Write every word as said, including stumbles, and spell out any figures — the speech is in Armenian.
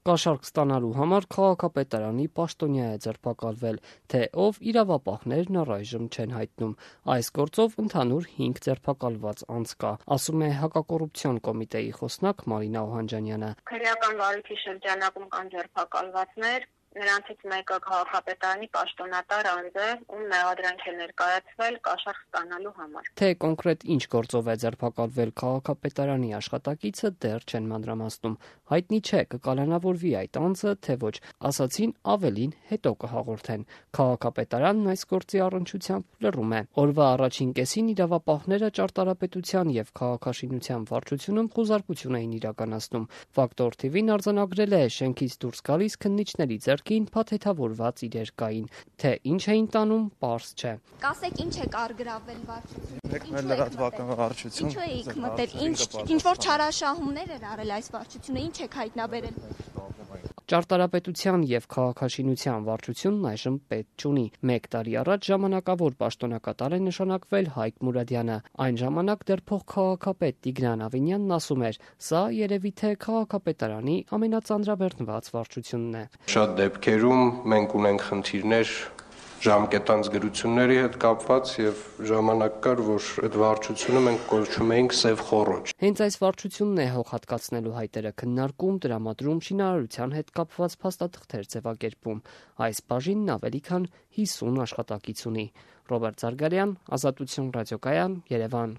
Կաշառք ստանալու համար քաղաքապետարանի պաշտոնյա է ձերբակալվել, թե ով իրավապահներն առայժմ չեն հայտնում։ Այս գործով ընդհանուր հինգ ձերբակալված անձ կա, ասում է հակակոռուպցիոն կոմիտեի խոսնակ Մարինա Օհանջանյանը։ Քրեական վարույթի շրջանակում կան ձերբակալվածներ, նրանցից մեկը քաղաքապետարանի պաշտոնատար անձ է, ում մեղադրանք է ներկայացվել կաշառք ստանալու համար։ Թե կոնկրետ ինչ գործով է ձերբակալվել քաղաքապետարանի աշխատակիցը դեռ չեն մանրամասնում։ Հայտնի չէ կկալանավորվի այդ անձը, թե ոչ, ասացին ավելին հետո կհաղորդեն։ Քաղաքապետարանն այս գործի առնչությամբ լռում է։ Օրվա առաջին կեսին իրավապահները ճարտարապետության եւ քաղաքաշինության վարչությունում խոզարկություն էին իրականացնում։ Ֆակտոր թի վին արձանագրել է շենքից դուրս գալիս քննիչների ձեռքին փաթեթավորված իրեր կային, թե ինչ էին տանում, պարզ չէ։ Կասեք ինչ է կարգրավել վարչությունը։ Եք մեր լրատվական վարչություն։ Ինչու եք մտել, ինչ ինչ որ չարաշահումներ էր արել այս վարչությունը, ինչ եք հայտնաբերել։ Ճարտարապետության եւ քաղաքաշինության վարչությունն այժմ պետ չունի։ Մեկ տարի առաջ ժամանակավոր պաշտոնակատար է նշանակվել Հայկ Մուրադյանը։ Այն ժամանակ դեռ փոխքաղաքապետ Տիգրան Ավինյանն ասում էր. «Սա երևի թե քաղաքապետարանի ամենածանրաբեռնված վարչությունն է»։ Շատ դեպքերում մենք ունենք խնդիրներ ժամկետանց գրությունների հետ կապված եւ ժամանակ կար, որ այդ վարչությունը մենք կոչում էինք սև խոռոչ։ Հենց այս վարչությունն է հող հատկացնելու հայտերը քննարկում, տրամադրում, շինարարության հետ կապված փաստաթղթեր ձևակերպում։ Այս բաժինն ավելի քան հիսուն աշխատակից ունի։ Ռոբերտ Զարգարյան, Ազատություն ռադիոկայան, Երևան։